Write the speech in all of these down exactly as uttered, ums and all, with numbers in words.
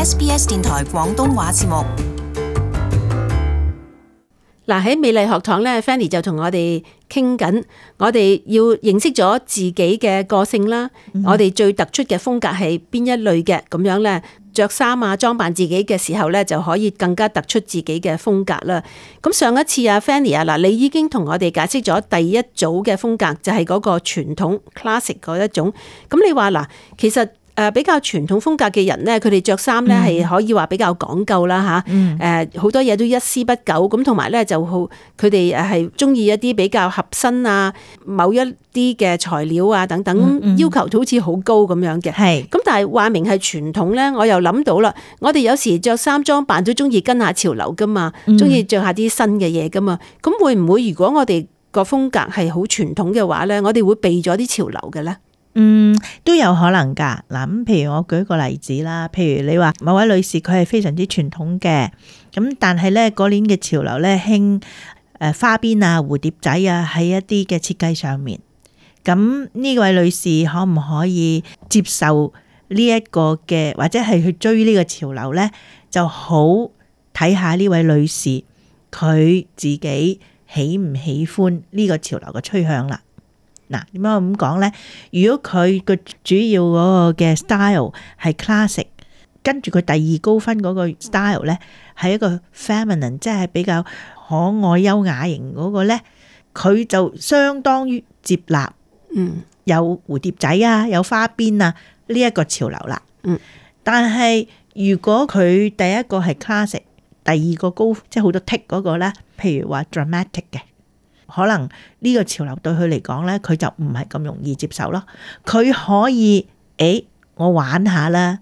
S B S 電台廣東話節目。嗱，喺美麗學堂咧 Fanny 就同我哋傾緊，我哋要認識咗自己嘅個性啦，嗯、我哋最突出嘅風格係邊一類嘅，咁樣咧着衫啊裝扮自己嘅時候咧就可以更加突出自己嘅風格啦。咁上一次啊 Fanny 啊，嗱你已經同我哋解釋咗第一組嘅風格，就係、是、嗰個傳統 classic 嗰一種。咁你話嗱，其實誒比較傳統風格嘅人咧，佢哋着衫咧係可以話比較講究啦嚇，誒好、嗯、多嘢都一絲不苟咁，同埋咧就好佢哋誒係中意一啲比較合身啊，某一啲嘅材料啊等等，嗯嗯、要求好似好高咁樣嘅。係咁是，但係話明係傳統咧，我又諗到啦，我哋有時着衫裝扮都中意跟下潮流噶嘛，中意着下啲新嘅嘢噶嘛。咁、嗯、會唔會如果我哋個風格係好傳統嘅話咧，我哋會避咗啲潮流嘅咧？嗯，都有可能噶。嗱，咁譬如我舉個例子啦，譬如你話某位女士佢係非常之傳統嘅，咁但係咧嗰年嘅潮流咧興誒花邊啊、蝴蝶仔啊喺一啲嘅設計上面，咁呢位女士可唔可以接受呢一個嘅，或者係去追呢個潮流咧？就好睇下呢位女士佢自己喜唔喜歡呢個潮流嘅趨向啦。嗱，點解我咁講咧？如果佢個主要嗰個嘅 style 係 classic， 跟住佢第二高分嗰個 style 咧係一個 feminine， 即係比較可愛優雅型嗰個咧，佢就相當於接納，嗯，有蝴蝶仔啊，有花邊啊呢一個潮流啦。嗯，但係如果佢第一個係 classic， 第二個高即係好多 tick 嗰個咧，譬如話 dramatic 嘅。可能呢個潮流對佢嚟講咧，佢就唔係咁容易接受咯。佢可以，誒、欸，我玩下啦，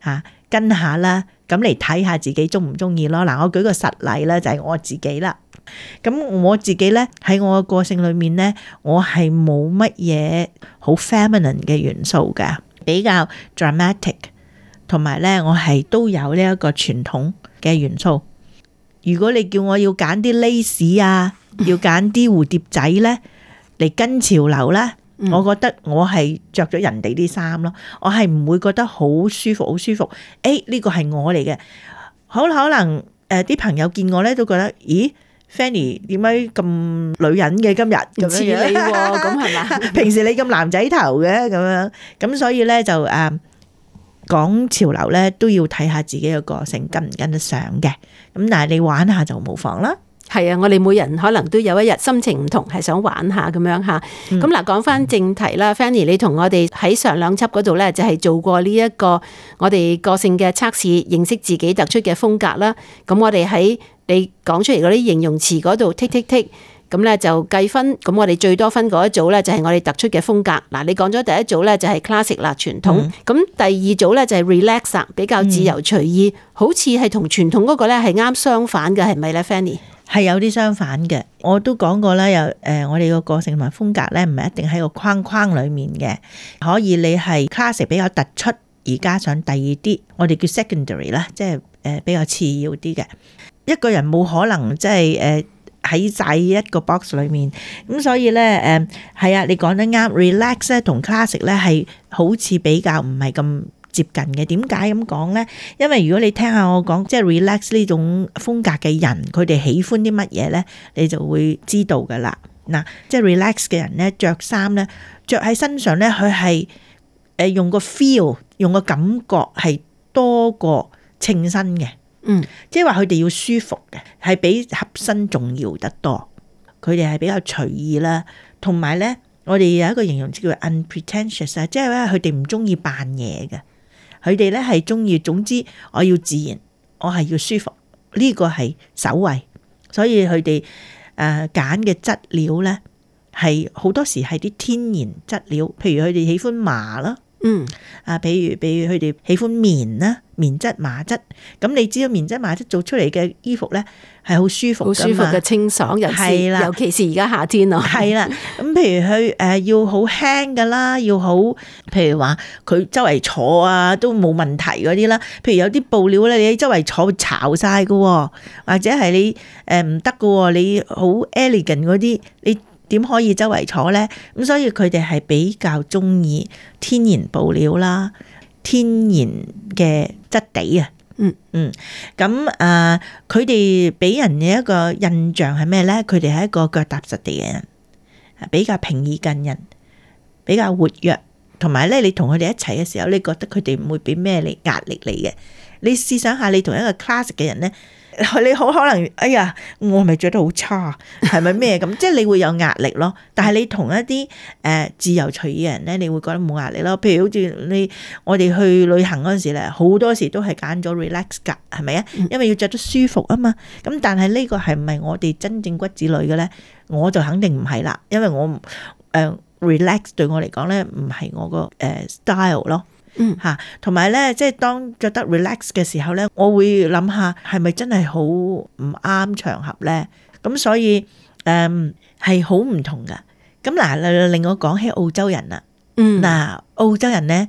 嚇、啊，跟下啦，咁嚟睇下自己中唔中意咯。嗱，我舉個實例啦，就係、是、我自己啦。咁我自己咧喺我嘅個性裏面咧，我係冇乜嘢好 feminine 嘅元素嘅，比較 dramatic， 同埋咧我係都有呢一個傳統嘅元素。如果你叫我要揀啲 lace 啊，要揀啲蝴蝶仔咧嚟跟潮流咧，嗯、我覺得我係着咗人哋啲衫咯，我係唔會覺得好舒服，好舒服。誒，呢個係我嚟嘅，好可能誒啲、呃、朋友見我咧都覺得，咦 ，Fanny 點解咁女人嘅今日咁似你喎？咁係嘛？平時你咁男仔頭嘅咁樣，咁所以咧就誒。呃講潮流咧都要睇下自己嘅個性跟唔跟得上嘅，咁但係你玩下就無妨啦。係啊，我哋每人可能都有一日心情唔同，係想玩下咁樣吓。咁嗱、嗯，講翻正題啦 ，Fanny， 你同我哋喺上兩輯嗰度咧，就係做過呢一個我哋個性嘅測試，認識自己突出嘅風格啦。咁我哋喺你講出嚟嗰啲形容詞嗰度剔剔剔。咁咧就計分，咁我哋最多分嗰一組咧就係我哋突出嘅風格。嗱，你講咗第一組咧就係 classic 啦，傳統。咁、嗯、第二組咧就係 relax， 比較自由隨意，嗯、好似係同傳統嗰個咧係啱相反嘅，係咪咧 Fanny？ 係有啲相反嘅，我都講過啦，有誒我哋個個性同埋風格咧唔係一定喺個框框裡面嘅，可以你係 classic 比較突出，而加上第二啲我哋叫 secondary 啦，即係誒比較次要啲嘅。一個人冇可能即係誒。喺晒一個 box 裏面，咁所以咧誒係啊，你講得啱 ，relax 咧同 classic 咧係好似比較唔係咁接近嘅。點解咁講咧？因為如果你聽下我講，即係 relax 呢種風格嘅人，佢哋喜歡啲乜嘢咧，你就會知道噶啦。嗱，即係 relax 嘅人咧，着衫咧，着喺身上咧，佢係誒用個 feel，用個感覺係多過稱身嘅。嗯，即係話佢哋要舒服嘅，係比合身重要得多。佢哋係比較隨意啦，同埋咧，我哋有一個形容詞叫 unpretentious 啊，即係咧佢哋唔中意扮嘢嘅，佢哋咧係中意，總之我要自然，我係要舒服，呢個係首位。所以佢哋誒揀嘅質料咧係好多時係啲天然質料，譬如佢哋喜歡麻啦。嗯，啊，比如比如佢哋喜歡棉啦，棉質麻質，咁你知道棉質麻質做出嚟嘅衣服咧係好舒服，好舒服嘅清爽，尤其啦尤其是而家夏天咯，係啦。咁譬如佢誒要好輕噶啦，要好，譬如話佢周圍坐啊都冇問題嗰啲啦。譬如有啲布料咧，你周圍坐會巢晒噶，或者係你誒唔得噶，你好 elegant 嗰啲你。點可以周圍坐呢？咁所以佢哋係比較中意天然布料啦，天然嘅質地啊，嗯嗯，咁啊，佢哋俾人嘅一個印象係咩咧？佢哋係一個腳踏實地嘅人，比較平易近人，比較活躍，同埋咧，你同佢哋一齊嘅時候，你覺得佢哋唔會俾咩你壓力你嘅。你試想下，你同一個 class 嘅人咧，你好可能，哎呀，我係咪着得好差？係咪咩咁？即係你會有壓力咯。但係你同一啲誒、呃、自由隨意嘅人咧，你會覺得冇壓力咯。譬如好似你我哋去旅行嗰陣時咧，好多時都係揀咗 relax 㗎，係咪啊？因為要着得舒服啊嘛。咁但係呢個係唔係我哋真正骨子裏嘅咧？我就肯定唔係啦，因為我誒。呃 relax 對我嚟講咧，唔係我個誒 style 咯，嗯嚇，同埋咧，即係當覺得 relax 嘅時候咧，我會諗下係咪真係好唔啱場合咧？咁所以誒係好唔同噶。咁嗱，令我講起澳洲人啦，嗯嗱，澳洲人咧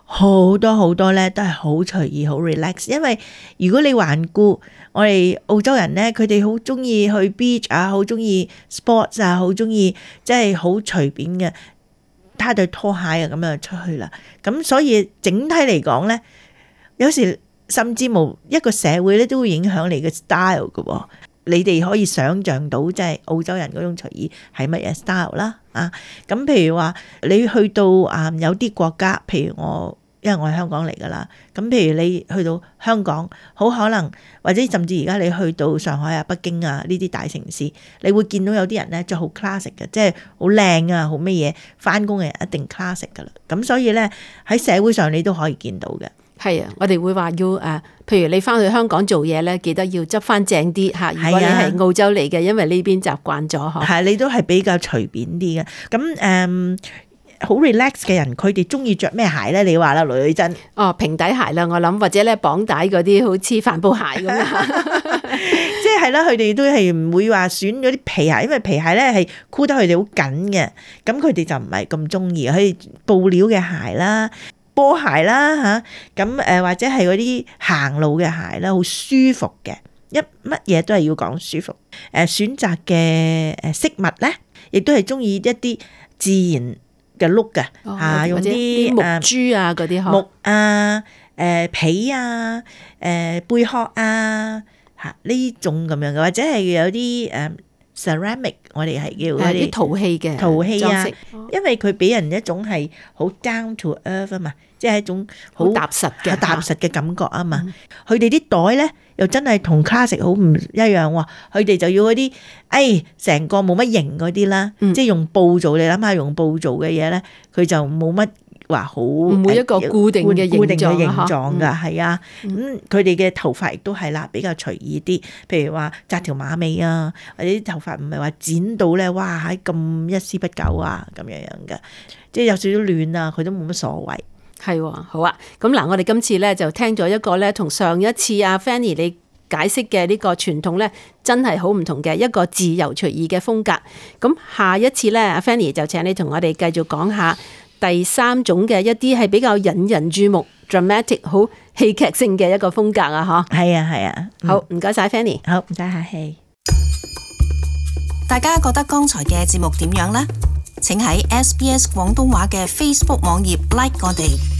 好多好多咧都係好隨意、好 relax，因為如果你環顧我哋澳洲人咧，佢哋好中意去 beach 啊，好中意 sports 啊，好中意即係好隨便嘅，攤對拖鞋啊咁樣出去啦。咁所以整體嚟講咧，有時甚至冇一個社會咧都會影響你嘅 style 嘅。你哋可以想像到即係澳洲人嗰種隨意係乜嘢 style 啦啊。咁譬如話你去到啊有啲國家，譬如我。因為我係香港嚟噶啦，咁譬如你去到香港，好可能或者甚至而家你去到上海啊、北京啊呢啲大城市，你會見到有啲人咧着好 classic 嘅，即係好靚啊、好乜嘢，返工嘅人一定 classic 噶啦。咁所以咧喺社會上你都可以見到嘅。係啊，我哋會話要誒，譬如你返去香港做嘢咧，記得要執返正啲嚇。如果你係澳洲嚟嘅，因為呢邊習慣咗嗬。係，你都係比較隨便啲嘅。咁誒。Um, 好 relax 嘅人，佢哋中意着咩鞋咧？你話啦，女真哦，平底鞋啦，我諗或者咧綁帶嗰啲，好似帆布鞋咁樣。即係啦，佢哋都係唔會話選嗰啲皮鞋，因為皮鞋咧係箍得佢哋好緊嘅，咁佢哋就唔係咁中意。佢布料嘅鞋啦、波鞋啦嚇，咁誒或者係嗰啲行路嘅鞋啦，好舒服嘅，一乜嘢都係要講舒服。誒選擇嘅誒飾物咧，亦都係中意一啲自然嘅 look 嘅嚇，用啲木珠啊嗰啲木啊、誒皮啊、誒貝殼啊嚇呢種咁樣嘅，或者係有啲誒 ceramic， 我哋係叫嗰啲陶器嘅陶器啊，哦、因為佢俾人一種係好 down to earth 啊嘛，即係一種好踏實嘅踏實嘅感覺啊嘛。佢哋啲袋咧又真係同 classic 好唔一樣喎，佢哋就要嗰啲誒成個冇乜型嗰啲啦，嗯、即係用布做。你諗下用布做嘅嘢咧，佢就冇乜話好唔會一個固定嘅固定嘅形狀狀㗎，係啊。咁佢哋嘅頭髮亦都係啦，比較隨意啲。譬如話紮條馬尾啊，或者啲頭髮唔係話剪到咧，哇喺咁一絲不苟啊咁樣樣嘅，即係有少少亂啊，佢都冇乜所謂。係喎，好啊。咁嗱，我哋今次咧就聽咗一個咧，同上一次阿 Fanny 你解釋嘅呢個傳統咧，真係好唔同嘅一個自由隨意嘅風格。咁下一次咧，阿 Fanny 就請你同我哋繼續講下第三種嘅一啲係比較引人注目、dramatic 好戲劇性嘅一個風格啊！嗬，係啊，係啊。好，唔該晒 Fanny。好，唔使客氣。大家覺得剛才嘅節目點樣呢？請喺 S B S 廣東話嘅 Facebook 網頁 like 我哋。